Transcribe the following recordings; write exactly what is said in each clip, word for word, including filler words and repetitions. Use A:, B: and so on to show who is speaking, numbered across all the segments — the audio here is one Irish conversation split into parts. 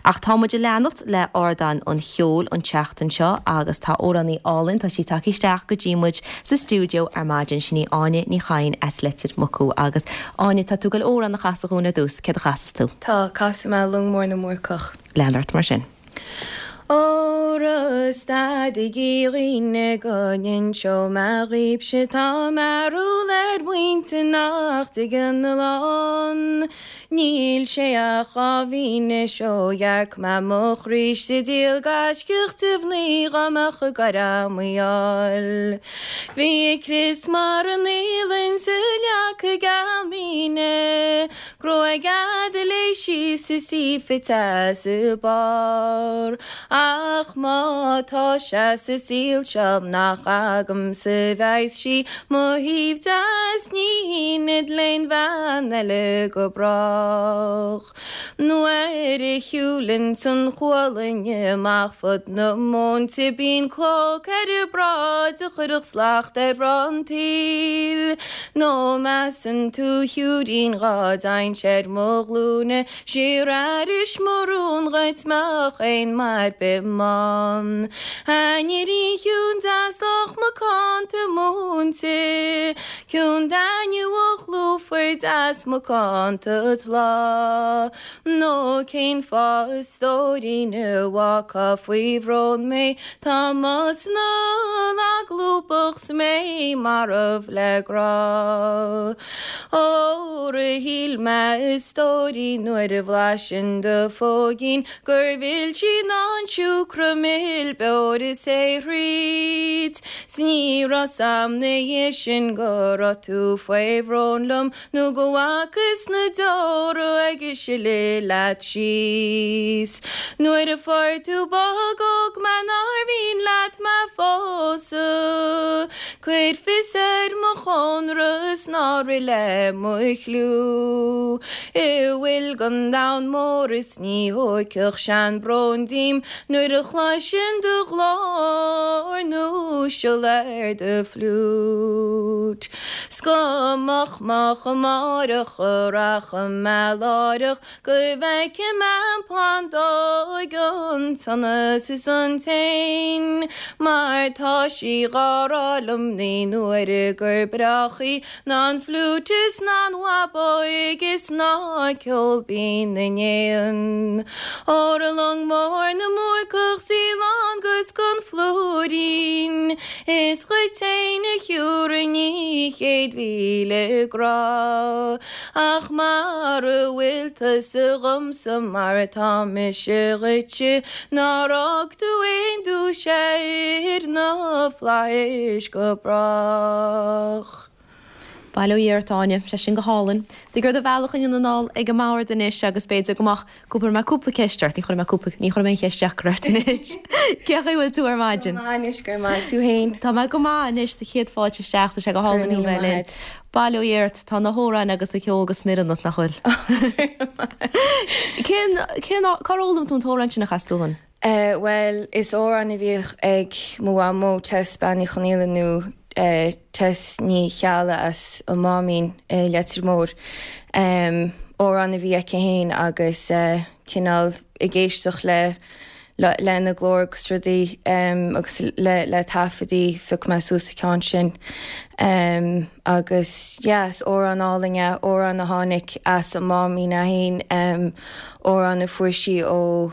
A: Ach tá muid ag leanacht le Ardán an Cheoil an tseachtain seo agus tá amhránaí álainn tá sí tagtha isteach go dtí muid sa stiúideo ar maidin sin í Áine Ní Chadhain as Leitir Mucú agus Áine tá tú ag goil amhrán a chasadh dúinn ar dtús céard a chasfas tú.
B: Tá casfaidh mé Long Mór na mBúrcach.
A: Lean ort mar sin.
B: Óra stadaigí a dhaoine go n-inseoidh mé dhaoibhse tá mearbhall ar mhuintir nach dtuigeann a lán. Níl sé ach dhá mhí anois ó dhearc mé mo chroíse díol gaiscíoch de mhnaoi dhá mbeadh ag gaire mo fháil. Bhí a crios mar an fhaoileann sa leaca geal míne, Gruaig fhada léi síos is í fite as a barr. Ach má tá sé sa saol seo nach agamsa a bheas sí mo thaobh deas ní haoinfead l'aon bhean eile go brách. Nuair a shiúlanns an chualann amach fud na móinte bíonn clóc ar a bráid a chuirfeadh slacht ar an tsaoil. Nó measann tú a shiúirín dhá dteinnse ar mo ghlúine siar aris mo rún dhuit mbeadh aon maith ar bith ann. A iníon chiúin deas lách macánta múinte, ciúin taitneamhach lúfar deas macánta tláth. Nó cén fáth a stóirín a bhfágfá faoi bhrón mé, tá mo snáth lag lúbach 's mé marbh le grá. Óra shíl mé a stóirín nuair a bhlaisinn do phóigín gur mhilsí ná an siúcra mil beoir is é thríd. 'S ní raibh 's a'm 'na dhiaidh sin go raibh tú faoi bhrón liom nó go bhfacas na deora ag sileadh leat síos. Nuair a fuair tú bog óg mé nár mhian leat mé phósadh, Cuir fios ar mo chónra 's ná rith le mo chliú. I bhfuil gon domhan mór is ní thóigfeadh sé an brón díom nuair a chloisinn do ghlór nó siolla ar do fhliúit. 'S go moch moch amáireach a rachaidh mé láithreach go bhfeicfidh mé an phlandóg an sonas is an t-éan, mar tá sí dhá rá liom naoi n-uaire gur breáchaí ná an fhliúit is ná an bhabóig is ná ceol binn na n-éan. Óra long mór na mBúrcach 's í lán gus gon phlúirín, is dhuit fhéin a thiúrfainn í céad mhíle grá. Ach mara bhfuil tusa dhomsa mar atá mise dhuitse, nár fhág tú aon duais ar na flaithis go brách.
A: Bail ó Dhia ort Áine, sé sin go hálainn. Tig ar do bhealach anonn anall ag an mbord anois agus b'fhéidir go mbeadh cúpla mé cúpla ceist ort, ní chuirfidh mé cúpla ní chuirfidh mé aon cheist deacair ort anois. Cén chaoi a bhfuil tú ar maidin?
B: Go maith anois go raibh maith tú féin.
A: Tá mé go maith anois sa chéad fáilte isteach, tá sé go hálainn thú bheith linn. Bail ó Dhia ort, tá na hamhráin agus an ceol go smior ionat nach bhfuil. Cén cén cár fhoghlaim tú an t-amhrán sin a chas tú dúinn?
B: Uh, well, is amhrán a bhíodh ag mo mhamó Tess Bean Uí Chonaola nó uh, Tess Ní Cheallaigh as an Máimín uh, Leitir Móir. Um, amhrán a bhí aici féin agus uh, cineál ag éisteacht le le lena glór agus rudaí um, agus le, le taifeadaí phioc mé suas an ceann sin. Um, agus yes, amhrán álainn é, amhrán a tháinig as an Máimín é féin, um, amhrán a fuair sí ó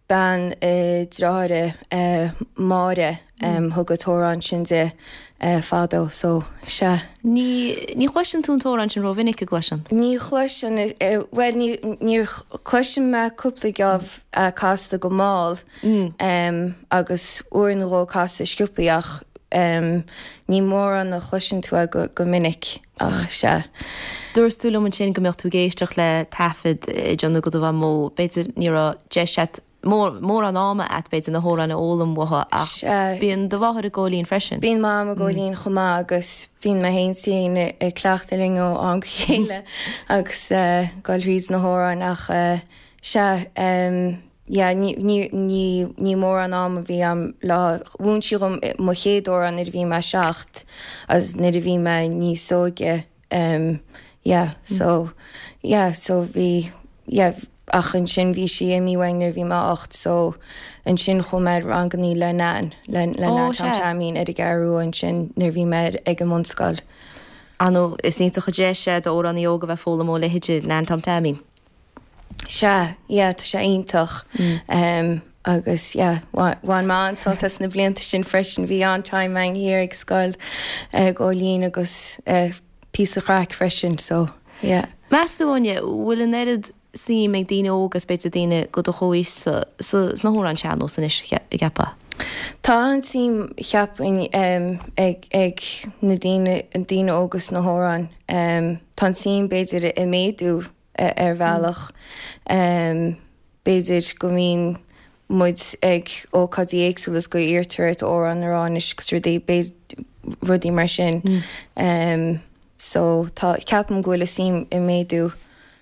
B: bean uh, deartháire uh, Máire um, thug an t-amhrán sin di uh, fadó, so sea.
A: Ní ní chloiseann tú an t-amhrán sin rómhinic an gcloiseann?
B: Ní chloiseann uh, well ní níor chloiseann mé cúpla geábh uh, casta go mall
A: Mm.
B: um, agus uair nó dhó casta sciobtha ach um, ní mórán a chloiseann tú é go, go minic ach sea.
A: Dúirt tú liom ansin go mbeadh tú ag éisteacht le taifead déanta ag do mhamó, b'fhéidir ní raibh deis agat mór mórán ama agat b'fhéidir na hamhráin a fhoghlaim uaithi ach
B: Sea.
A: bíonn do mháthair ag gabháil fhoinn freisin.
B: Bíonn mam ag gabháil fhoinn chomh maith agus bíonn mé féin féin ag cleachtadh linn ó am go chéile agus uh, gabháil thríd na hamhráin ach uh, sea um, yeah, ní, ní, ní, ní mórán am a bhí agam le mhúin sí dom mo chéad amhrán nuair a bhí mé seacht agus nuair a bhí mé níos óige um, yeah, so yeah, so bhí yeah, ach ansin bhí sí imithe uainn nuair a bhí mé ocht so ansin chuaigh mé ar rangannaí le Nan, le le
A: Ó,
B: Nan Tom
A: sea.
B: Taimín ar an gCeathrú Rua ansin nuair a bhí mé ag an mbunscoil.
A: Anó is iontach an deis é d'amhránaí óg a bheith ag foghlaim ó leithéidí Nan Tom Taimín.
B: Sea, yeah, tá sé iontach. Um, agus yeah, bhain mé an-sult as na blianta sin freisin bhí an-time againn thiar ag scoil uh, Góilín agus uh, píosa craic freisin, so yeah.
A: Meas tú Áine, bhfuil an oiread suim ag daoine óga is b'fhéidir daoine go do chomhaois sa sna hamhráin sean-nós anois a cheapfá.
B: Tá an-suim cheapfainn um, ag, ag na daoine an daoine óga sna hamhráin. Um, tá an suim b'fhéidir ag méadú uh, ar bhealach. Um, b'fhéidir go mbíonn muid ag ócáidí éagsúla is go iarrtar ort amhrán a rá anois agus rudaí rudaí mar sin. Mm. Um, so tá ceapaim go bhfuil an suim ag méadú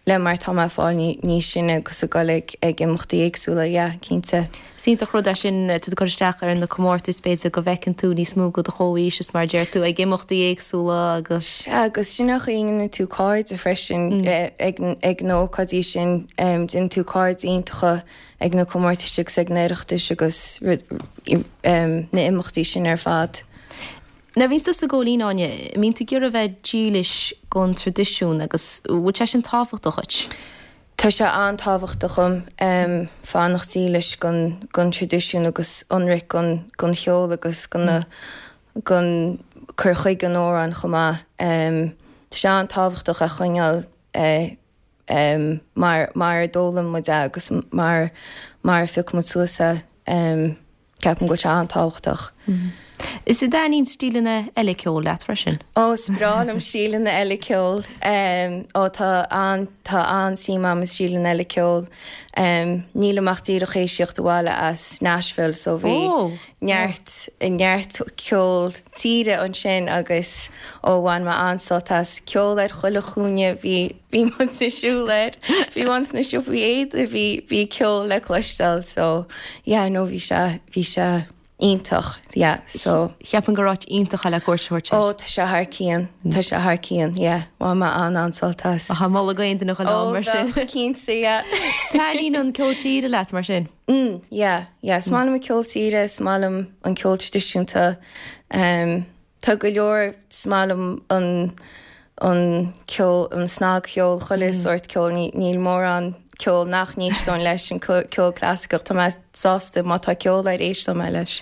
B: le mar tá mé fáil níos sine agus ag dul ag ag imeachtaí éagsúla, yeah, cinnte.
A: Is iontach rud é sin tú cur isteach ar na comórtais b'fhéidir go bhfeiceann tú níos mó go do chomhaois is mar deir tú ag imeachtaí éagsúla agus.
B: Agus sin a dhéanann tú cairde freisin mm. ag, ag na hócáidí sin um, déanann tú cairde iontacha ag na comórtais agus ag na hOireachtais agus um, na imeachtaí sin ar fad.
A: Na bhíonn tú sa Góilín Áine, mbíonn tú ag iarraidh bheith dílis gon traidisiún agus bhfuil sé sin tábhachtach duit?
B: Tá sé an-tábhachtach dom um, fanacht dílis gon, gon traidisiún agus ionraic gon, gon cheol agus gon, mm. gon cur chuige an amhrán chomh maith. Um, tá sé an-tábhachtach a choinneáil uh, um, mar, mar a d'fhoghlaim muid é agus mar, mar a phioc muid suas é um, ceapaim go bhfuil sé an-tábhachtach.
A: Mm. Is an dtaitníonn stíleanna eile ceoil leat freisin?
B: Ó is breá liom stíleanna eile ceoil. Um, ó tá an tá an-suim agam i stíleanna eile ceoil. Um, Nílim ach díreach tar éis tíocht abhaile as Nashville so bhí
A: oh.
B: neart neart ceol tíre ansin agus ó bhain mé an-sult as ceol ar chuile chúinne bhí bhí muid ag siúl air bhí an sna siopaí éadaí bhí bhí ceol le cloisteáil so yeah, no bhí sé bhí sé iontach yeah, so
A: Cheapaim gur áit iontach le cuairt a thabhairt.
B: Ó tá sé thar cionn Tá sé thar cionn yeah, bhain mé an an-sult as.
A: Tá moladh go aon duine go mar sin.
B: Cinnte yeah.
A: Taitníonn an ceol tíre leat mar sin.
B: Mm, yeah, yeah. Is maith liom an ceol tíre, is maith liom an ceol traidisiúnta. Um, tá go leor is maith liom an an ceol an snagcheol chuile mm. sórt ceol níl mórán ceol nach n-éistfinn leis an ceol clasaiceach Tá mé sásta má tá ceol air éistfidh mé leis.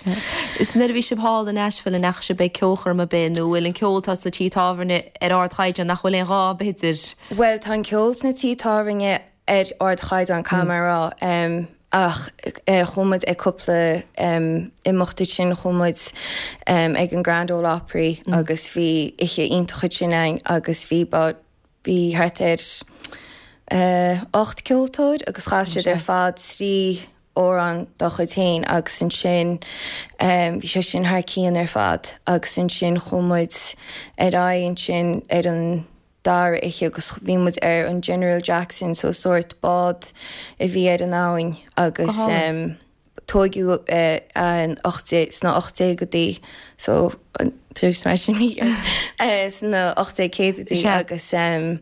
A: Is nuair a bhí sibh thall in Nashville an ndeachaigh sibh ag ceolchoirm ar bith nó bhfuil an ceol tá sa tí tábhairne ar ardchaighdeán nach bhfuil aon ghá b'fhéidir.
B: Well tá an ceol sna tithe tábhairne ar ardchaighdeán caithfidh mé a rá. Um, ach uh, chuaigh muid ag cúpla um, imeachtaí sin chuaigh muid um, ag an Grand Ole Opry mm. agus bhí oíche iontach sin ann agus bhí bhí thart ar uh, ocht ceoltóir agus chas siad ar fad trí amhrán dá chuid féin agus ansin um, bhí sé sin thar cionn ar fad agus ansin chuaigh muid ar aghaidh ansin ar an dara oíche agus bhí muid ar an General Jackson so sórt bád a bhí ar an abhainn agus um, tógadh uh, an sna ocht déag so mar sin sna ocht céadaidí agus um,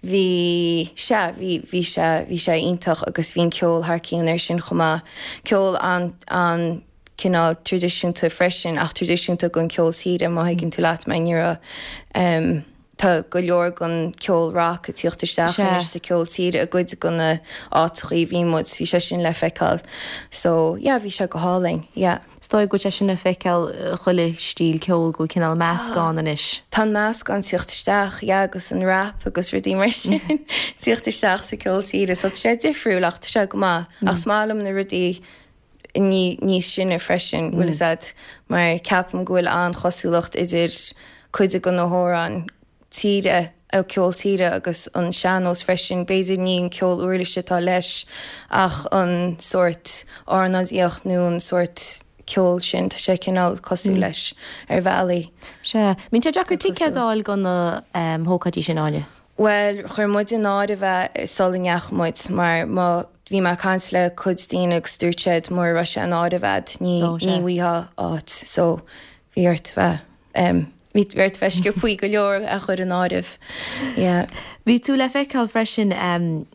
B: bhí sé bhí bhí sé bhí sé iontach agus bhí an ceol thar cionn ar sin chomh maith ceol an an cineál traidisiúnta freisin ach traidisiúnta gon ceol tíre má thuigeann tú leat mé ní um, Tá go leor gon ceol rock ag tíocht isteach anois sa ceol tíre i gcuid go na áiteacha bhí muid bhí sé sin le feiceáil. So yeah, bhí sé go hálainn, yeah.
A: Is dóigh go sé sin le feiceáil chuile stíl ceol go cineál meascán anois.
B: Tá meascán ag tíocht isteach yeah, agus an rap agus rudaí mar sin ag tíocht isteach sa ceol tíre, so tá sé difriúil ach tá sé go maith ach is maith liom na rudaí ní níos sine freisin bhfuil siad mar ceapaim go bhfuil an-chosúlacht idir cuid go na hamhráin tíre ó ceol tíre agus an sean-nós freisin b'fhéidir ní an ceol uirlise atá leis ach an sórt ornáidíocht nó an sórt ceol sin tá sé cineál cosúil mm. leis ar bhealaí.
A: Sea, mbíonn sé deacair ticéad a fháil go na um, hócáidí sin Áine.
B: Well, chuir muid in áirithe sula ndeachaigh muid mar má bhí mé ag caint le cuid daoine agus dúirt siad mura raibh sé in áirithe ní ní bhfaighfeá áit so bhí ort bheith um, bhí ort bheith sciobtha go leor a chur in áirithe. Yeah.
A: Bhí tú le feiceáil freisin um,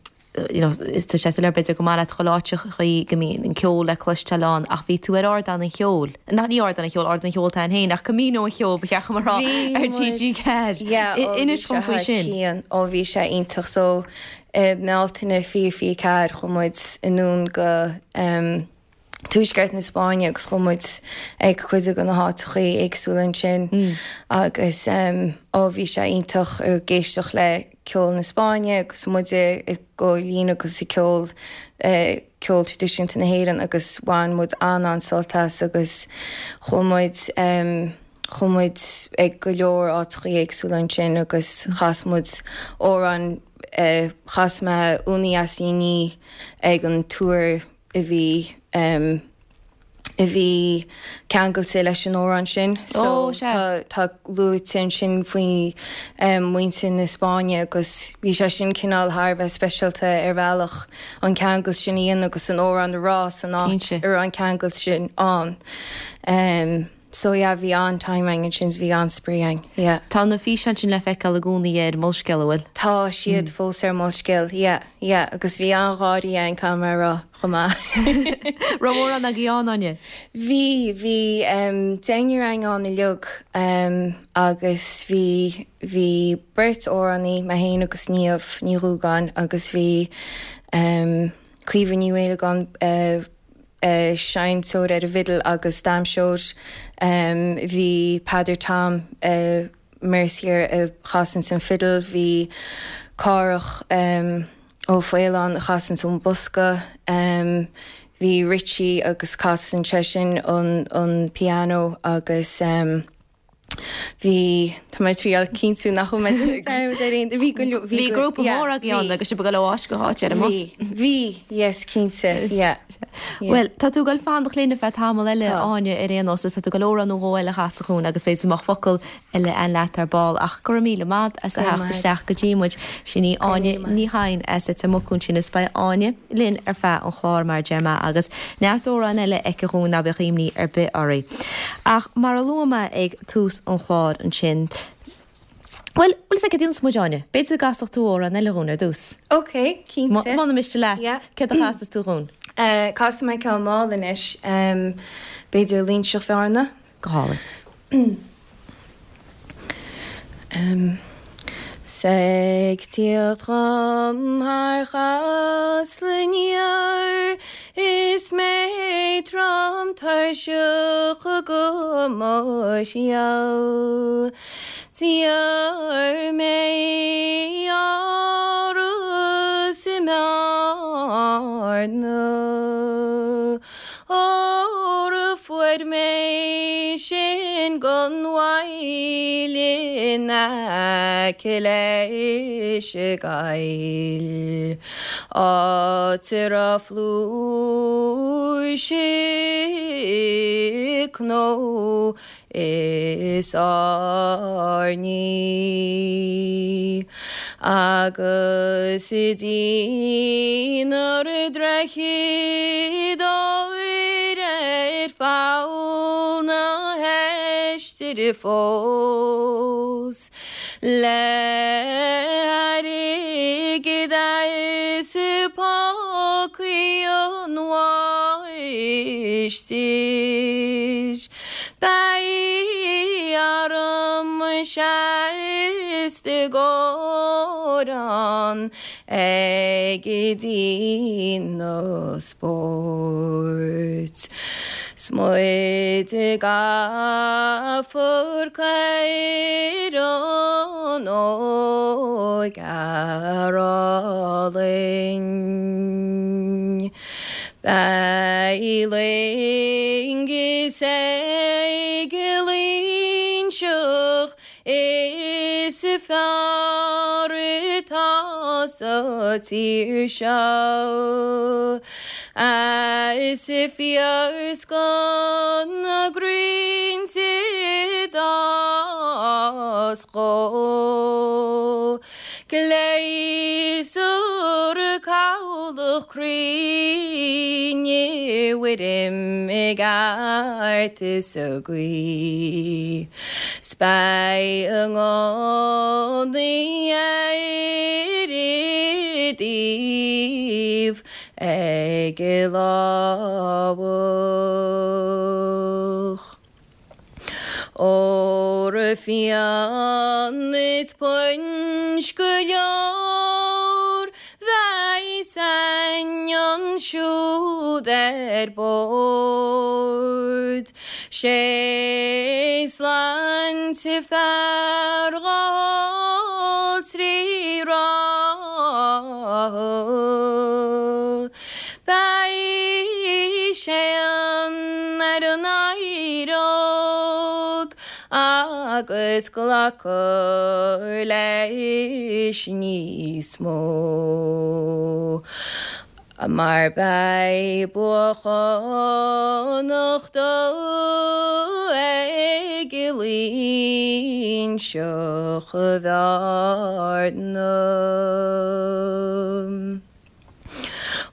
A: you know, is tá sé le b'fhéidir go maith leat cholátechaí go mbíonn an ceol le cloisteáil ann ach bhí tú ar ardán an cheoil. Na ní ardán an cheoil ardán an cheoil tá féin ach Camino an cheoil ba cheart mar ar TG Ceathair. Inis dom faoi sin.
B: ó bhí sé iontach so Bealtaine fiche fiche ceathair chuaigh muid anonn go um, Tuaisceart na Spáinne agus chuaigh muid ag cuid de na háiteachaí éagsúla ansin mm. agus um, ó bhí sé iontach ag éisteacht le ceol na Spáinne agus muide i gcóilín agus i ceol uh, ceol traidisiúnta na hÉireann agus bhain muid an an-sult as agus chuaigh muid um, chuaigh muid ag go leor áiteachaí éagsúla ansin agus chas muid amhrán uh, chas mé Úna Deas ag an túr a bhí um, a bhí ceangailte leis an amhrán sin so oh, tá luaite sin faoi um, muintir na Spáinne agus bhí sé sin cineál thar bheith speisialta ar bhealach an ceangal sin íon agus an amhrán rá san áit ar an ceangal sin an. Um, So yeah, bhí an-time againn sin bhí an-spraoi againn. Yeah.
A: Tá na físeáin sin le feiceáil i gcónaí ar Molscéal bhfuil?
B: Tá siad mm. fós ar Molscéal, yeah, yeah, agus bhí an-gháirí an camera chomh maith.
A: Raibh mórán agaibh ann Áine?
B: Bhí bhí um, deichniúr againn ann uilig um, agus bhí bhí beirt amhránaí mé féin agus Niamh Ní Dhúgáin agus bhí um, Caoimhe Ní Mhaolagáin uh, uh, seinnteoir ar an bhfidil agus damhsóir um, bhí Peadar Tom uh, Mercier a chasann an fidil, bhí Cárach um, Ó Faoláin a chasann an bosca, um, bhí Richie agus casann seisean an, an piano agus um, Bhí tá mé triail cinntiú nach bhí
A: Bhí grúpa mór agaibh ann agus sibh ag dul ó áit go háit ar an mbus.
B: Bhí yes cinnte yeah.
A: Well, tá tú ag dul fanacht linn ar feadh tamall eile Áine ar aon nós tá tú ag dul amhrán nó dhó eile a chasadh dúinn agus b'fhéidir nach focal eile an leat ar ball ach go raibh míle maith as a theacht isteach go dtí muid sin í Áine Ní Chadhain as Leitir Mucú sin is beidh Áine linn ar feadh an chláir mar deir mé agus neart amhrán eile aici dúinn ná bíodh imní ar bith oraibh. Ach mar a luaigh mé ag tús an chláir ansin. Well, bhfuil sé cad muid Áine, B'fhéidir go gcasfadh tú amhrán eile dúinn ar dtús.
B: Ok, cinnte.
A: Muna miste leat, céard a chasfas tú dúinn?
B: Uh, Casfaidh mé ceann mall anois, um, b'fhéidir Loingseach Bhearna.
A: Go hálainn.
B: Um, 'S ag tíocht dhom thar Chasla aniar Is mé trom tuirseach go mo thriall D'iarr mé áras i mBearna Óra fuair mé sin gan mhoill in aice leis an gcoill Áit a raibh flúirse cnó is airní Agus i dtínar droichid óir ar pholl na heistire fós Le hairgead as pócaí an mháistir Beidh arm seasta górán ag daoine spóirt. 'S muid gafa ar caorán óg álainn. Beidh loingeas ag an Loingseach is fearr atá sa tír seo. Is fíorscoth na gcrainnte d'fhás dhó. Gléasúr cabhlach cruinn bhfuirim i gceart is a gcuí. 'S beidh a ngunnaí ar a dtaobh ag an lámhach. Óra fíon is punch go leor bheidh ansiúd ar bord. Sé sláinte fear dhá trí ráithe. Beidh sé an ar an éireog agus glacadh leis níos mó. Mar beidh buachánach dó ag Loingseach Bhearna.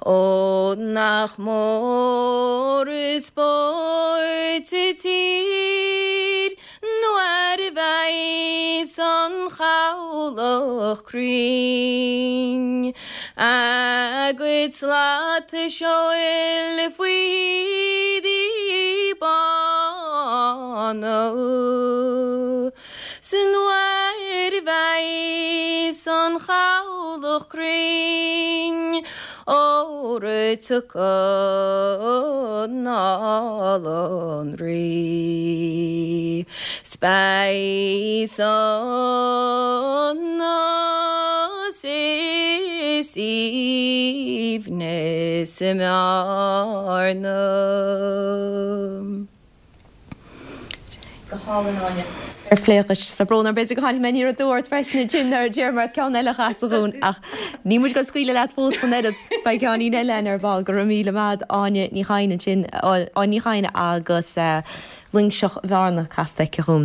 B: Ó nach mór is spórt sa tír nuair a bheidh an chabhlach cruinn a gcuid slata seoil faoi éadaí bána. 'S nuair a bheidh an chabhlach cruinn óra tiocfaidh anall an Rí. 'S beidh sonas is aoibhneas i mBearna.
A: Go hálainn Áine. Ar pléachas sa brón ar b'fhéidir go tháinig mé ní dúirt freisin sin ar deir mar ceann eile chas dhún ach ní muid go scaoile leat fós chun oiread beidh ceann eile ar ball go raibh míle maith Áine Ní Chadhain sin Áine Ní Chadhain agus Loingseach Bhearna casta aici dhún.